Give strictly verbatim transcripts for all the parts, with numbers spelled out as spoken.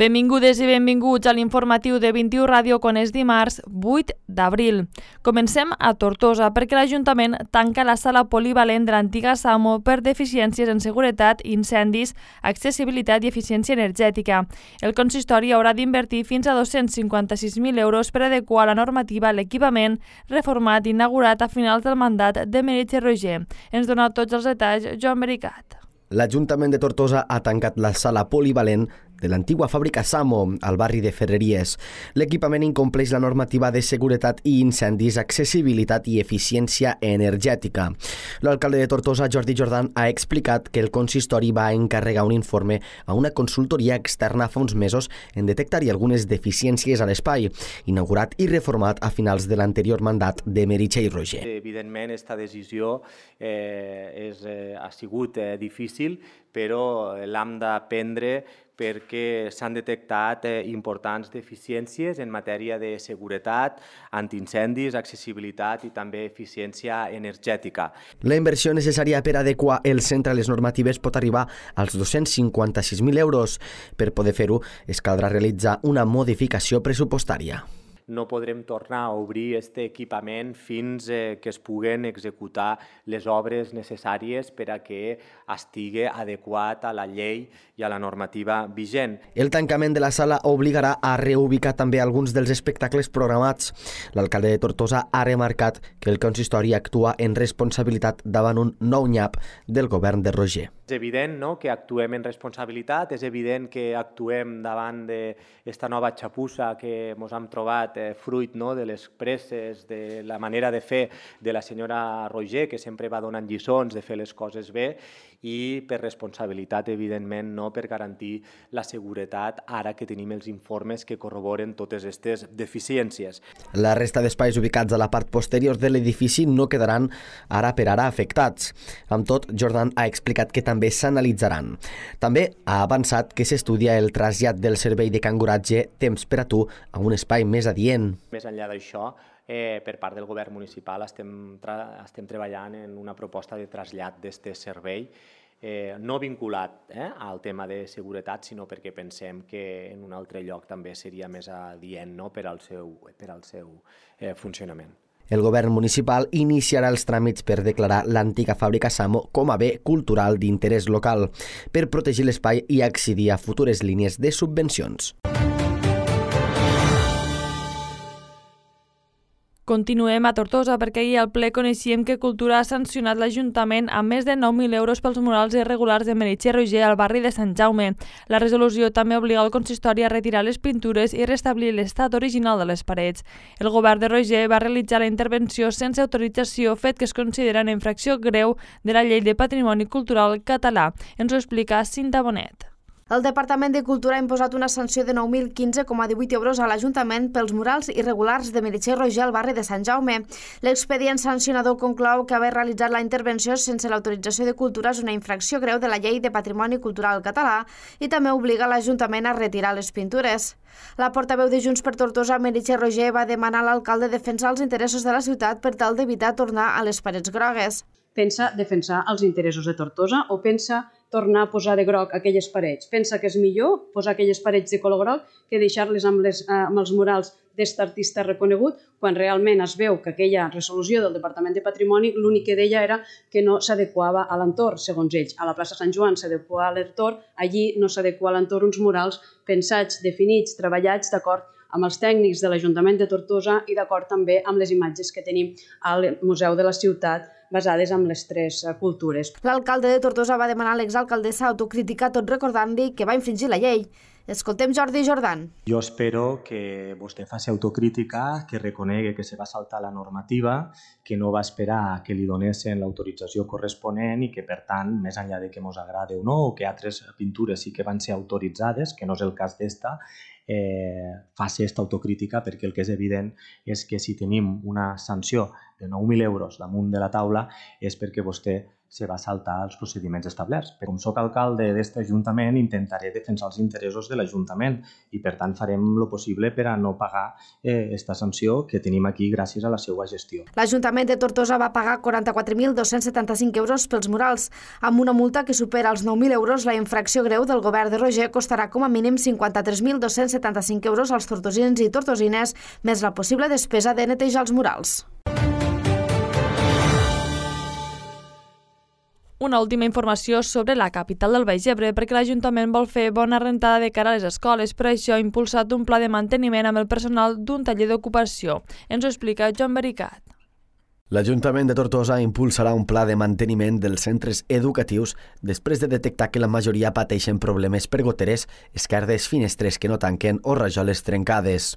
Benvingudes i benvinguts a l'informatiu de vint-i-u Ràdio quan és dimarts vuit d'abril. Comencem a Tortosa perquè l'Ajuntament tanca la sala polivalent de l'antiga SAMO per deficiències en seguretat, incendis, accessibilitat i eficiència energètica. El consistori haurà d'invertir fins a dos-cents cinquanta-sis mil euros per adequar la normativa a l'equipament reformat i inaugurat a finals del mandat de Meritxell Roger. Ens dona tots els detalls Joan Bericat. L'Ajuntament de Tortosa ha tancat la sala polivalent de l'antigua fàbrica SAMO, al barri de Ferreries. L'equipament incompleix la normativa de seguretat i incendis, accessibilitat i eficiència energètica. L'alcalde de Tortosa, Jordi Jordan, ha explicat que el consistori va encarregar un informe a una consultoria externa fa uns mesos en detectar-hi algunes deficiències a l'espai, inaugurat i reformat a finals de l'anterior mandat de Meritxell Roger. Evidentment, aquesta decisió eh, és, eh, ha sigut eh, difícil, però l'hem de prendre perquè s'han detectat eh, importants deficiències en matèria de seguretat, antiincendis, accessibilitat i també eficiència energètica. La inversió necessària per adequar el centre a les normatives pot arribar als dos-cents cinquanta-sis mil euros. Per poder fer-ho, es caldrà realitzar una modificació pressupostària. No podrem tornar a obrir aquest equipament fins eh, que es puguen executar les obres necessàries per a que estigui adequat a la llei i a la normativa vigent. El tancament de la sala obligarà a reubicar també alguns dels espectacles programats. L'alcalde de Tortosa ha remarcat que el consistori actua en responsabilitat davant un nou nyap del govern de Roger. És evident, no?, que actuem en responsabilitat, és evident que actuem davant d'aquesta nova xapussa que ens hem trobat eh, fruit, no?, de les presses, de la manera de fer de la senyora Roger, que sempre va donant lliçons de fer les coses bé, i per responsabilitat, evidentment, no per garantir la seguretat ara que tenim els informes que corroboren totes aquestes deficiències. La resta d'espais ubicats a la part posterior de l'edifici no quedaran ara per ara afectats. Amb tot, Jordan ha explicat que també s'analitzaran. També ha avançat que s'estudia el trasllat del servei de canguratge Temps per a tu a un espai més adient. Més enllà d'això, eh, per part del govern municipal estem, tra estem treballant en una proposta de trasllat d'aquest servei, eh, no vinculat eh, al tema de seguretat, sinó perquè pensem que en un altre lloc també seria més adient, no?, per al seu, per al seu eh, funcionament. El govern municipal iniciarà els tràmits per declarar l'antiga fàbrica SAMO com a bé cultural d'interès local, per protegir l'espai i accedir a futures línies de subvencions. Continuem a Tortosa perquè ahir al ple coneixíem que Cultura ha sancionat l'Ajuntament amb més de nou mil euros pels murals irregulars de Meritxell Roger al barri de Sant Jaume. La resolució també obliga el consistori a retirar les pintures i restablir l'estat original de les parets. El govern de Roger va realitzar la intervenció sense autorització, fet que es considera una infracció greu de la Llei de Patrimoni Cultural Català. Ens ho explica Cinta Bonet. El Departament de Cultura ha imposat una sanció de nou mil quinze coma divuit euros a l'Ajuntament pels murals irregulars de Meritxell Roger al barri de Sant Jaume. L'expedient sancionador conclou que haver realitzat la intervenció sense l'autorització de Cultura és una infracció greu de la Llei de Patrimoni Cultural Català i també obliga l'Ajuntament a retirar les pintures. La portaveu de Junts per Tortosa, Meritxell Roger, va demanar a l'alcalde defensar els interessos de la ciutat per tal d'evitar tornar a les parets grogues. Pensa defensar els interessos de Tortosa o pensa tornar a posar de groc aquelles parets? Pensa que és millor posar aquelles parets de color groc que deixar-les amb, les, amb els murals d'aquest artista reconegut, quan realment es veu que aquella resolució del Departament de Patrimoni l'únic que deia era que no s'adequava a l'entorn, segons ells. A la plaça Sant Joan s'adequa a l'entorn, allí no s'adequa a l'entorn uns murals pensats, definits, treballats d'acord amb els tècnics de l'Ajuntament de Tortosa i d'acord també amb les imatges que tenim al Museu de la Ciutat basades en les tres cultures. L'alcalde de Tortosa va demanar a l'exalcaldessa autocrítica tot recordant-li que va infringir la llei. Escoltem Jordi Jordan. Jo espero que vostè faci autocrítica, que reconegui que se va saltar la normativa, que no va esperar que li donessin l'autorització corresponent i que, per tant, més enllà de que ens agrade o no, o que altres pintures sí que van ser autoritzades, que no és el cas d'esta, eh, faci aquesta autocrítica, perquè el que és evident és que si tenim una sanció de nou mil euros damunt de la taula és perquè vostè se va saltar els procediments establerts. Com soc alcalde d'aquest ajuntament, intentaré defensar els interessos de l'Ajuntament i, per tant, farem el possible per a no pagar aquesta eh, sanció que tenim aquí gràcies a la seva gestió. L'Ajuntament de Tortosa va pagar quaranta-quatre mil dos-cents setanta-cinc euros pels murals. Amb una multa que supera els nou mil euros, la infracció greu del govern de Roger costarà com a mínim cinquanta-tres mil dos-cents setanta-cinc euros als tortosins i tortosines, més la possible despesa de netejar els murals. Una última informació sobre la capital del Baix Ebre, perquè l'Ajuntament vol fer bona rentada de cara a les escoles. Per això ha impulsat un pla de manteniment amb el personal d'un taller d'ocupació. Ens ho explica Joan Bericat. L'Ajuntament de Tortosa impulsarà un pla de manteniment dels centres educatius després de detectar que la majoria pateixen problemes per goteres, esquerdes, finestres que no tanquen o rajoles trencades.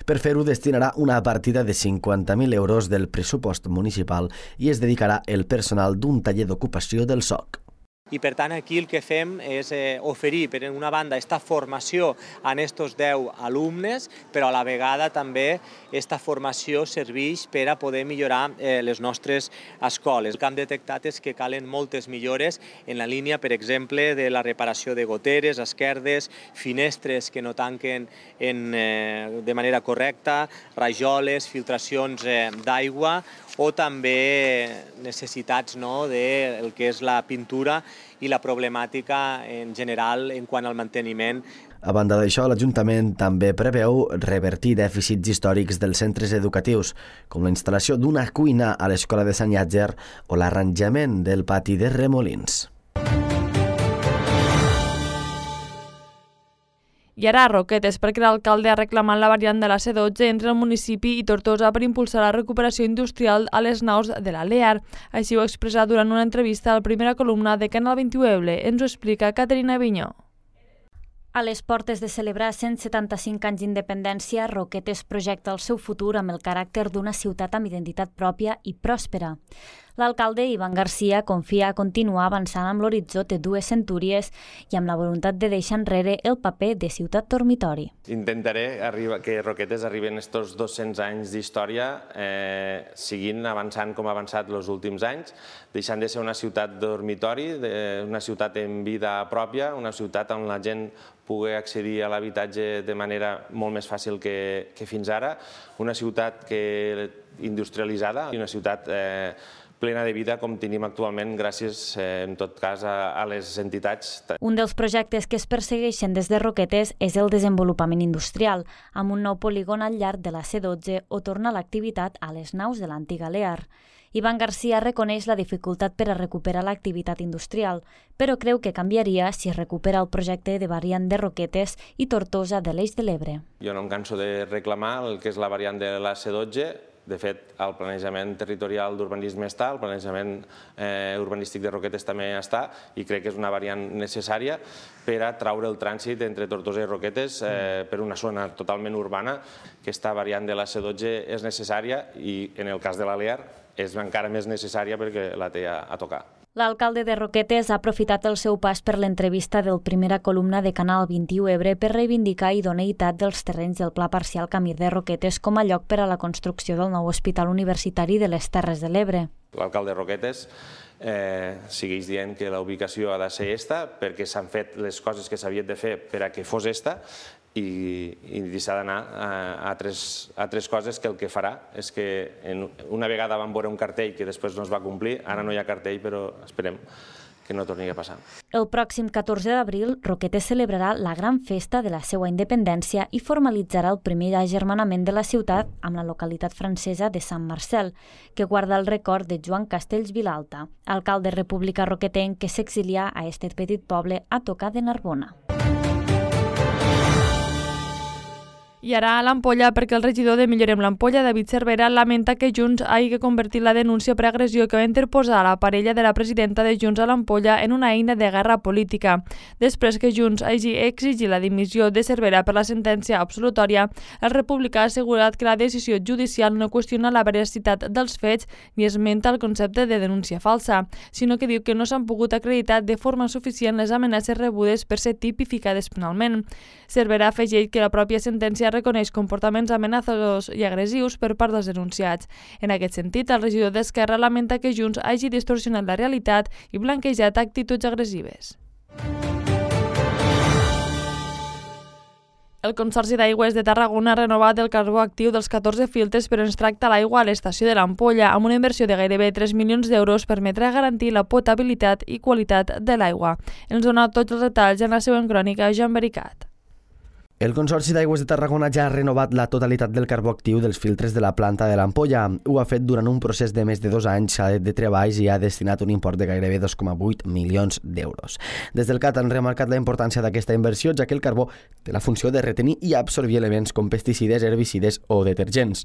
Per fer-ho destinarà una partida de cinquanta mil euros del pressupost municipal i es dedicarà el personal d'un taller d'ocupació del S O C. I per tant aquí el que fem és eh, oferir per una banda esta formació a estos deu alumnes, però a la vegada també esta formació serveix per a poder millorar eh, les nostres escoles. El que hem detectat és que calen moltes millores en la línia, per exemple, de la reparació de goteres, esquerdes, finestres que no tanquen en, eh, de manera correcta, rajoles, filtracions eh, d'aigua o també necessitats no, del que és la pintura i la problemàtica en general en quant al manteniment. A banda d'això, l'Ajuntament també preveu revertir dèficits històrics dels centres educatius, com la instal·lació d'una cuina a l'Escola de Sant Llàtzer o l'arranjament del pati de Remolins. I ara a Roquetes, perquè l'alcalde ha reclamat la variant de la C dotze entre el municipi i Tortosa per impulsar la recuperació industrial a les naus de la Lear. Així ho ha expressat durant una entrevista a la primera columna de Canal vint-i-u Eble. Ens ho explica Caterina Vinyó. A les portes de celebrar cent setanta-cinc anys d'independència, Roquetes projecta el seu futur amb el caràcter d'una ciutat amb identitat pròpia i pròspera. L'alcalde Ivan Garcia confia a continuar avançant amb l'horitzó de dues centúries i amb la voluntat de deixar enrere el paper de ciutat dormitori. Intentaré arribar, que Roquetes arribi en aquests dos-cents anys d'història eh, seguint avançant com ha avançat els últims anys, deixant de ser una ciutat dormitori, de, una ciutat en vida pròpia, una ciutat on la gent pugui accedir a l'habitatge de manera molt més fàcil que, que fins ara, una ciutat que, industrialitzada i una ciutat eh, plena de vida com tenim actualment gràcies, eh, en tot cas, a, a les entitats. Un dels projectes que es persegueixen des de Roquetes és el desenvolupament industrial, amb un nou polígon al llarg de la C dotze o tornar l'activitat a les naus de l'antiga Lear. Ivan Garcia reconeix la dificultat per a recuperar l'activitat industrial, però creu que canviaria si es recupera el projecte de variant de Roquetes i Tortosa de l'Eix de l'Ebre. Jo no em canso de reclamar el que és la variant de la C dotze. De fet, el planejament territorial d'urbanisme està, el planejament eh, urbanístic de Roquetes també està i crec que és una variant necessària per a traure el trànsit entre Tortosa i Roquetes eh, per una zona totalment urbana. Aquesta variant de la C dotze és necessària i en el cas de la Lear és encara més necessària perquè la té a, a tocar. L'alcalde de Roquetes ha aprofitat el seu pas per l'entrevista del primera columna de Canal vint-i-u Ebre per reivindicar idoneïtat dels terrenys del Pla Parcial Camí de Roquetes com a lloc per a la construcció del nou Hospital Universitari de les Terres de l'Ebre. L'alcalde de Roquetes eh, segueix dient que la ubicació ha de ser esta perquè s'han fet les coses que s'havien de fer per a que fos esta i, i s'ha d'anar a, a, tres, a tres coses que el que farà és que en, una vegada vam veure un cartell que després no es va complir, ara no hi ha cartell però esperem que no torni a passar. El pròxim catorze d'abril, Roquetes celebrarà la gran festa de la seva independència i formalitzarà el primer agermanament de la ciutat amb la localitat francesa de Sant Marcel, que guarda el record de Joan Castells Vilalta, alcalde republicà roquetenc que s'exilià a aquest petit poble a tocar de Narbona. I ara a l'Ampolla, perquè el regidor de Millorem l'Ampolla, David Cervera, lamenta que Junts hagi convertit la denúncia per agressió que va interposar a la parella de la presidenta de Junts a l'Ampolla en una eina de guerra política. Després que Junts hagi exigit la dimissió de Cervera per la sentència absolutòria, el republicà ha assegurat que la decisió judicial no qüestiona la veracitat dels fets ni esmenta el concepte de denúncia falsa, sinó que diu que no s'han pogut acreditar de forma suficient les amenaces rebudes per ser tipificades penalment. Cervera afegeix que la pròpia sentència reconeix comportaments amenaçadors i agressius per part dels denunciats. En aquest sentit, el regidor d'Esquerra lamenta que Junts hagi distorsionat la realitat i blanquejat actituds agressives. El Consorci d'Aigües de Tarragona ha renovat el carbó actiu dels catorze filtres per on es tracta l'aigua a l'estació de l'Ampolla, amb una inversió de gairebé tres milions d'euros permetrà garantir la potabilitat i qualitat de l'aigua. Ens dona tots els detalls en la següent crònica, Joan Bericat. El Consorci d'Aigües de Tarragona ja ha renovat la totalitat del carbó actiu dels filtres de la planta de l'Ampolla. Ho ha fet durant un procés de més de dos anys de treballs i ha destinat un import de gairebé dos coma vuit milions d'euros. Des del C A T han remarcat la importància d'aquesta inversió, ja que el carbó té la funció de retenir i absorbir elements com pesticides, herbicides o detergents.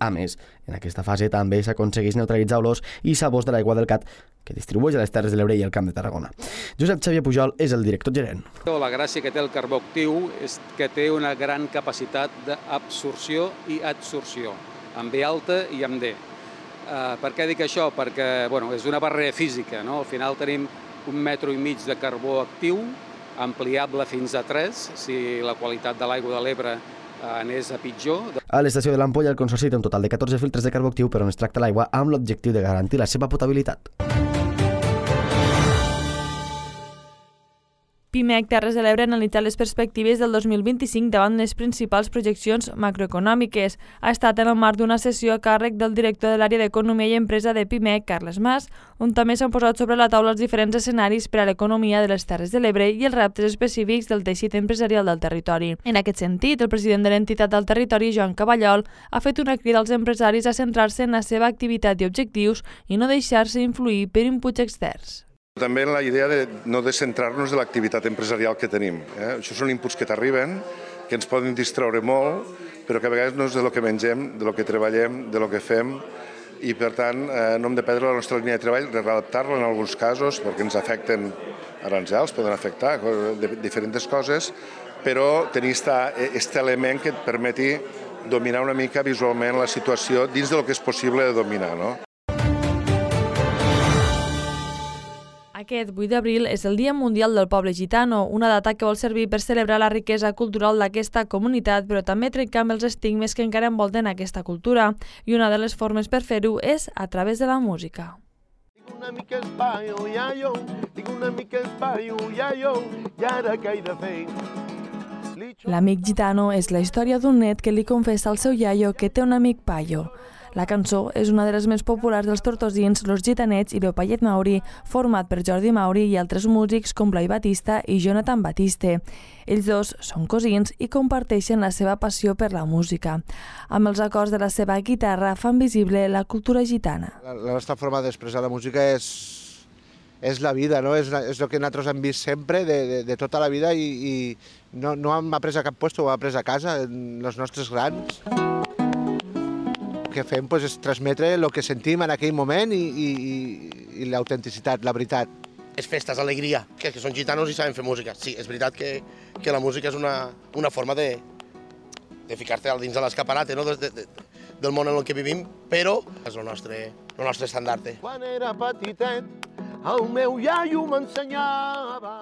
A més, en aquesta fase també s'aconsegueix neutralitzar olors i sabors de l'aigua del C A T que distribueix a les Terres de l'Ebre i el Camp de Tarragona. Josep Xavier Pujol és el director gerent. La gràcia que té el carbó actiu és que té una gran capacitat d'absorció i adsorció, amb B alta i amb D. Uh, per què dic això? Perquè bueno, és una barrera física, no? Al final tenim un metro i mig de carbó actiu, ampliable fins a tres, si la qualitat de l'aigua de l'Ebre anés a pitjor. A l'estació de l'Ampolla, el Consorci té un total de catorze filtres de carbó actiu per on es tracta l'aigua amb l'objectiu de garantir la seva potabilitat. Pimec Terres de l'Ebre ha analitzat les perspectives del dos mil vint-i-cinc davant les principals projeccions macroeconòmiques. Ha estat en el marc d'una sessió a càrrec del director de l'àrea d'Economia i Empresa de Pimec, Carles Mas, on també s'han posat sobre la taula els diferents escenaris per a l'economia de les Terres de l'Ebre i els reptes específics del teixit empresarial del territori. En aquest sentit, el president de l'entitat del territori, Joan Caballol, ha fet una crida als empresaris a centrar-se en la seva activitat i objectius i no deixar-se influir per inputs externs. També la idea de no descentrar-nos de l'activitat empresarial que tenim. Eh? Això són inputs que t'arriben, que ens poden distreure molt, però que a vegades no és de lo que mengem, de lo que treballem, de lo que fem, i per tant eh, no hem de perdre la nostra línia de treball, readaptar-la en alguns casos, perquè ens afecten aranzels, poden afectar de diferents coses, però tenir aquest element que et permeti dominar una mica visualment la situació dins de lo que és possible de dominar, no? Aquest vuit d'abril és el Dia Mundial del Poble Gitano, una data que vol servir per celebrar la riquesa cultural d'aquesta comunitat, però també trencar amb els estigmes que encara envolten aquesta cultura, i una de les formes per fer-ho és a través de la música. Tinc una mica espaio, iaio, tinc una mica espaio, iaio, i ara què he de fer? L'amic gitano és la història d'un net que li confessa al seu iaio que té un amic paio. La cançó és una de les més populars dels tortosins Los Gitanets i Leopollet Mauri, format per Jordi Mauri i altres músics com Blai Batista i Jonathan Batiste. Ells dos són cosins i comparteixen la seva passió per la música. Amb els acords de la seva guitarra fan visible la cultura gitana. La, la nostra forma d'expressar la música és, és la vida, no? És, és el que nosaltres hem vist sempre de, de, de tota la vida i, i no, no hem après a cap lloc, ho hem après a casa, els nostres grans. El que fem pues, és transmetre el que sentim en aquell moment i, i, i l'autenticitat, la veritat. És festes, alegria, que, que són gitanos i saben fer música. Sí, és veritat que, que la música és una, una forma de, de ficar-te al dins de l'escaparate, no? de, de, del món en el que vivim, però és el nostre, el nostre estandarte. Quan era petitet, el meu iaio m'ensenyava.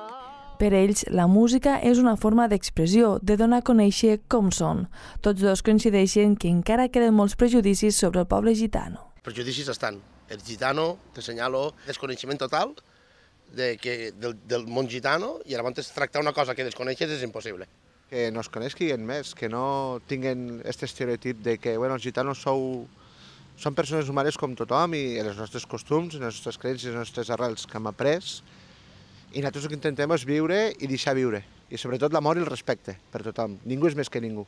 Per ells, la música és una forma d'expressió, de donar a conèixer com són. Tots dos coincideixen que encara queden molts prejudicis sobre el poble gitano. Prejudicis estan. El gitano, t'assenyalo, desconeixement total de que, del, del món gitano, i llavors tractar una cosa que desconeixes és impossible. Que no es coneixin més, que no tinguin aquest estereotip de que bueno, els gitanos sou, són persones humanes com tothom i els nostres costums, les nostres creences, les nostres arrels que hem après. I nosaltres el que intentem és viure i deixar viure. I sobretot l'amor i el respecte per tothom. Ningú és més que ningú.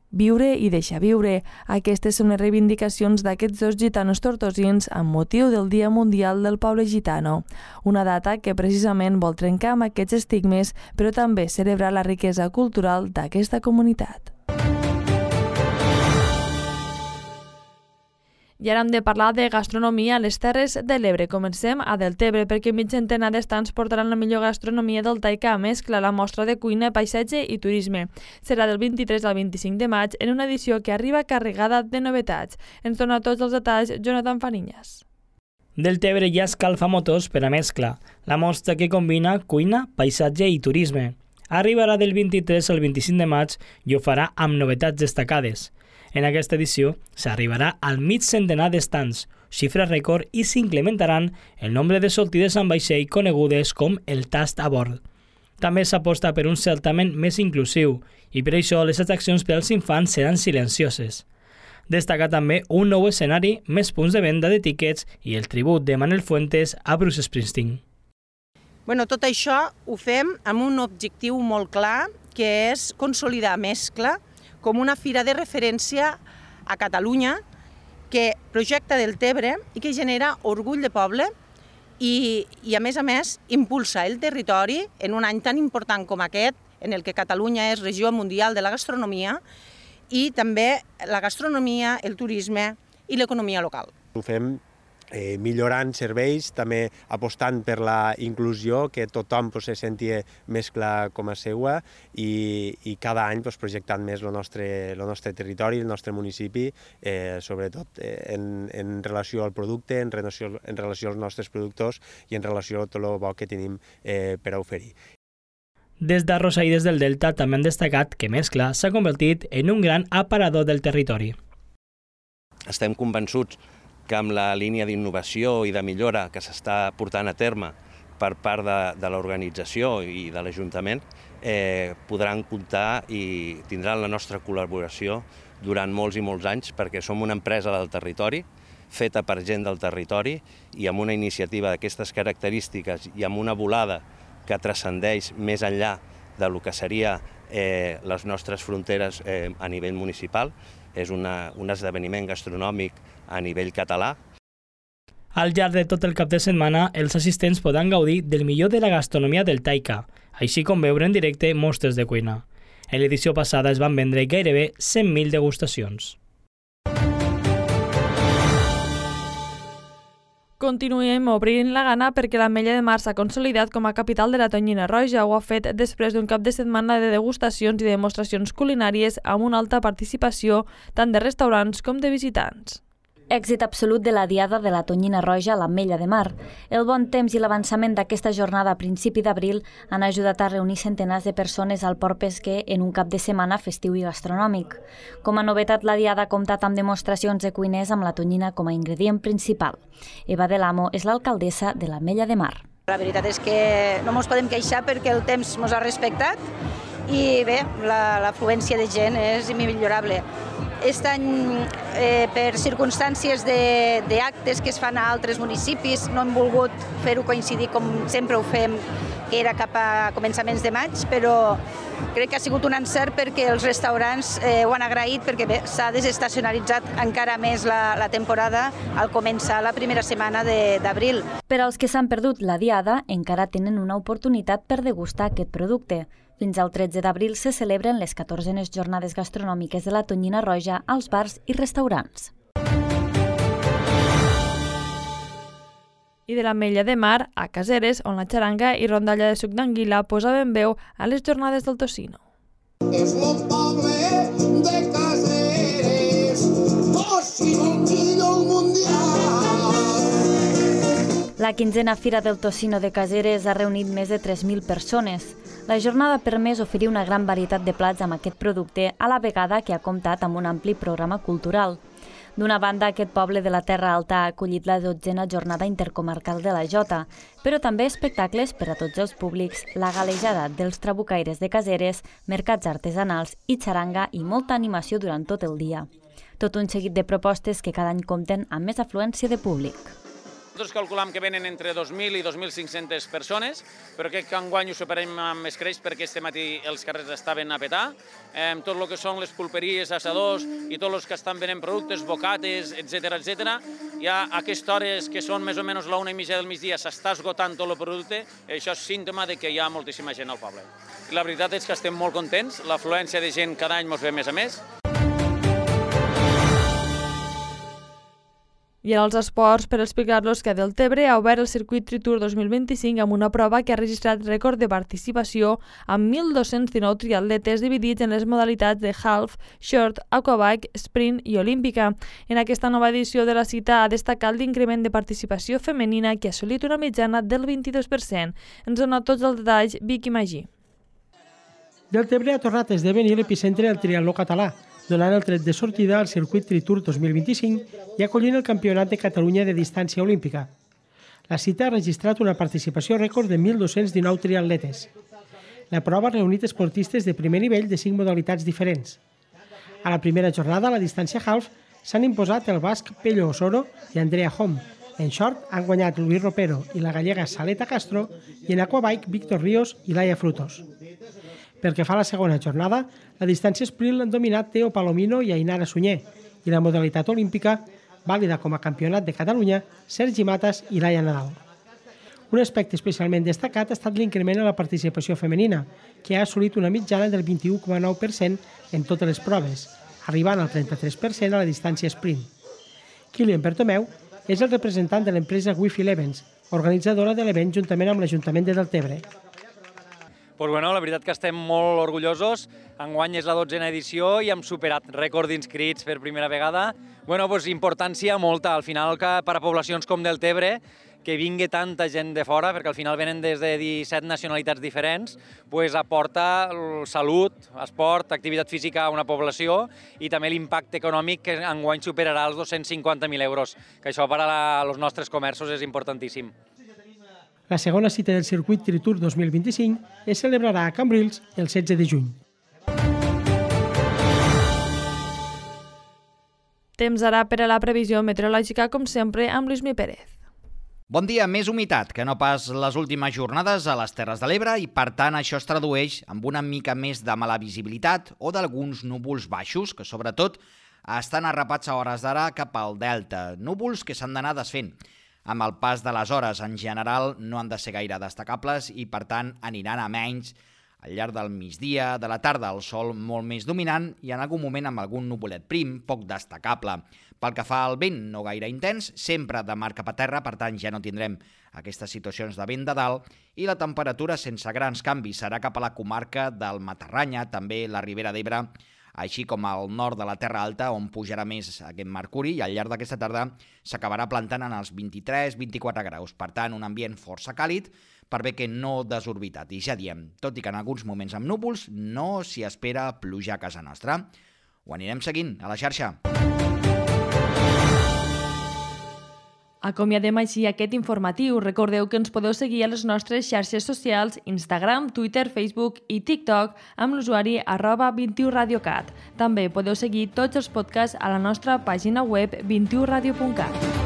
Viure i deixar viure. Aquestes són les reivindicacions d'aquests dos gitanos tortosins amb motiu del Dia Mundial del Poble Gitano. Una data que precisament vol trencar amb aquests estigmes, però també celebrar la riquesa cultural d'aquesta comunitat. I ara hem de parlar de gastronomia a les Terres de l'Ebre. Comencem a Deltebre, perquè mig centenar d'estants portaran la millor gastronomia del Taica a mescla la mostra de cuina, paisatge i turisme. Serà del vint-i-tres al vint-i-cinc de maig en una edició que arriba carregada de novetats. Ens dona tots els detalls Jonathan Fariñas. Deltebre ja escalfa motors per a mescla, la mostra que combina cuina, paisatge i turisme. arribarà del vint-i-tres al vint-i-cinc de maig i ho farà amb novetats destacades. En aquesta edició s'arribarà al mig centenar d'estands, xifra rècord, i s'incrementaran el nombre de sortides amb vaixell conegudes com el tast a bord. També s'aposta per un certamen més inclusiu i per això les atraccions per als infants seran silencioses. Destaca també un nou escenari, més punts de venda de tiquets i el tribut de Manuel Fuentes a Bruce Springsteen. Bueno, tot això ho fem amb un objectiu molt clar, que és consolidar Mescla com una fira de referència a Catalunya que projecta Deltebre i que genera orgull de poble i, i a més a més, impulsa el territori en un any tan important com aquest, en el que Catalunya és regió mundial de la gastronomia, i també la gastronomia, el turisme i l'economia local. Ho fem eh, millorant serveis, també apostant per la inclusió, que tothom pues, se senti Mescla com a seua i, i cada any pues, projectant més el nostre, el nostre territori, el nostre municipi, eh, sobretot eh, en, en relació al producte, en relació, en relació als nostres productors i en relació a tot el bo que tenim eh, per a oferir. Des d'Arrossaires del Delta també han destacat que Mescla s'ha convertit en un gran aparador del territori. Estem convençuts que amb la línia d'innovació i de millora que s'està portant a terme per part de, de l'organització i de l'Ajuntament, eh, podran comptar i tindran la nostra col·laboració durant molts i molts anys, perquè som una empresa del territori, feta per gent del territori i amb una iniciativa d'aquestes característiques i amb una volada que transcendeix més enllà de lo que seria eh, les nostres fronteres eh, a nivell municipal. És una, un esdeveniment gastronòmic a nivell català. Al llarg de tot el cap de setmana, els assistents podran gaudir del millor de la gastronomia del Taika, així com veure en directe mostres de cuina. En l'edició passada es van vendre gairebé cent mil degustacions. Continuem obrint la gana perquè l'Ametlla de Mar s'ha consolidat com a capital de la tonyina roja. Ho ha fet després d'un cap de setmana de degustacions i demostracions culinàries amb una alta participació tant de restaurants com de visitants. Èxit absolut de la Diada de la Tonyina Roja a l'Ametlla de Mar. El bon temps i l'avançament d'aquesta jornada a principi d'abril han ajudat a reunir centenars de persones al port pesquer en un cap de setmana festiu i gastronòmic. Com a novetat, la Diada ha comptat amb demostracions de cuiners amb la tonyina com a ingredient principal. Eva de l'Amo és l'alcaldessa de l'Ametlla de Mar. La veritat és que no ens podem queixar perquè el temps ens ha respectat i bé, l'afluència de gent és immillorable. Aquest any, eh, per circumstàncies d'actes que es fan a altres municipis, no hem volgut fer-ho coincidir com sempre ho fem, que era cap a començaments de maig, però crec que ha sigut un encert perquè els restaurants eh, ho han agraït, perquè s'ha desestacionalitzat encara més la, la temporada al començar la primera setmana d'abril. Per als que s'han perdut la Diada, encara tenen una oportunitat per degustar aquest producte. Fins al tretze d'abril se celebren les catorzenes jornades gastronòmiques de la Tonyina Roja als bars i restaurants. I de l'Ametlla de Mar a Caseres, on la xaranga i rondalla de suc d'anguila posaven veu a les jornades del tocino. És el poble de Caseres, tocino millor mundial. La quinzena Fira del Tocino de Caseres ha reunit més de tres mil persones. La jornada ha permès oferir una gran varietat de plats amb aquest producte, a la vegada que ha comptat amb un ampli programa cultural. D'una banda, aquest poble de la Terra Alta ha acollit la dotzena jornada intercomarcal de la Jota, però també espectacles per a tots els públics, la galejada dels trabucaires de Caseres, mercats artesanals i xaranga i molta animació durant tot el dia. Tot un seguit de propostes que cada any compten amb més afluència de públic. Nosaltres calculam que venen entre dos mil i dos mil cinc-centes persones, però crec que enguany ho superem amb escreix perquè este matí els carrers estaven a petar. Eh, tot el que són les pulperies, assadors i tots els que estan venent productes, bocates, etcètera, etcètera. Ja a aquestes hores que són més o menys la una i mitja del migdia s'està esgotant tot el producte, això és símptoma de que hi ha moltíssima gent al poble. I la veritat és que estem molt contents, l'afluència de gent cada any ens ve més a més. I ara els esports, per explicar-los que Deltebre ha obert el circuit Tritour dos mil vint-i-cinc amb una prova que ha registrat rècord de participació amb mil dos-cents dinou triatletes dividits en les modalitats de half, short, aquabike, sprint i olímpica. En aquesta nova edició de la cita ha destacat l'increment de participació femenina que ha assolit una mitjana del vint-i-dos per cent. Ens dona tots els detalls Vicky Magí. Deltebre ha tornat a esdevenir l'epicentre del triatló català, donant el tret de sortida al circuit Tritour dos mil vint-i-cinc i acollint el Campionat de Catalunya de distància olímpica. La cita ha registrat una participació rècord de mil dos-cents dinou triatletes. La prova ha reunit esportistes de primer nivell de cinc modalitats diferents. A la primera jornada, a la distància half, s'han imposat el basc Pello Osoro i Andrea Hom. En short han guanyat Luis Ropero i la gallega Saleta Castro i en aquabike Víctor Ríos i Laia Frutos. Pel que fa a la segona jornada, la distància sprint l'han dominat Teo Palomino i Ainara Sunyer i la modalitat olímpica, vàlida com a campionat de Catalunya, Sergi Matas i Laia Nadal. Un aspecte especialment destacat ha estat l'increment en la participació femenina, que ha assolit una mitjana del vint-i-u coma nou per cent en totes les proves, arribant al trenta-tres per cent a la distància sprint. Kilian Bertomeu és el representant de l'empresa Wi-Fi Events, organitzadora de l'event juntament amb l'Ajuntament de Deltebre. Pues bueno, la veritat que estem molt orgullosos. Enguany és la dotzena edició i hem superat rècord d'inscrits per primera vegada. Bueno, pues importància molta. Al final, que per a poblacions com Deltebre, que vingui tanta gent de fora, perquè al final venen des de disset nacionalitats diferents, pues aporta salut, esport, activitat física a una població i també l'impacte econòmic que enguany superarà els dos-cents cinquanta mil euros, que això per als nostres comerços és importantíssim. La segona cita del circuit Tritour dos mil vint-i-cinc es celebrarà a Cambrils el setze de juny. Temps ara per a la previsió meteorològica, com sempre, amb Lluís Pérez. Bon dia, més humitat que no pas les últimes jornades a les Terres de l'Ebre i, per tant, això es tradueix amb una mica més de mala visibilitat o d'alguns núvols baixos que, sobretot, estan arrapats a hores d'ara cap al delta. Núvols que s'han d'anar desfent. Amb el pas de les hores, en general, no han de ser gaire destacables i, per tant, aniran a menys al llarg del migdia, de la tarda, el sol molt més dominant i en algun moment amb algun nuvolet prim, poc destacable. Pel que fa al vent, no gaire intens, sempre de mar cap a terra, per tant ja no tindrem aquestes situacions de vent de dalt, i la temperatura sense grans canvis serà cap a la comarca del Matarranya, també la Ribera d'Ebre, així com al nord de la Terra Alta, on pujarà més aquest mercuri, i al llarg d'aquesta tarda s'acabarà plantant en els vint-i-tres a vint-i-quatre graus. Per tant, un ambient força càlid, per bé que no desorbitat. I ja diem, tot i que en alguns moments amb núvols, no s'hi espera pluja a casa nostra. Ho anirem seguint a la xarxa. Acomiadem així aquest informatiu. Recordeu que ens podeu seguir a les nostres xarxes socials, Instagram, Twitter, Facebook i TikTok amb l'usuari arroba vint i u radiocat. També podeu seguir tots els podcasts a la nostra pàgina web vint i u radio punt cat.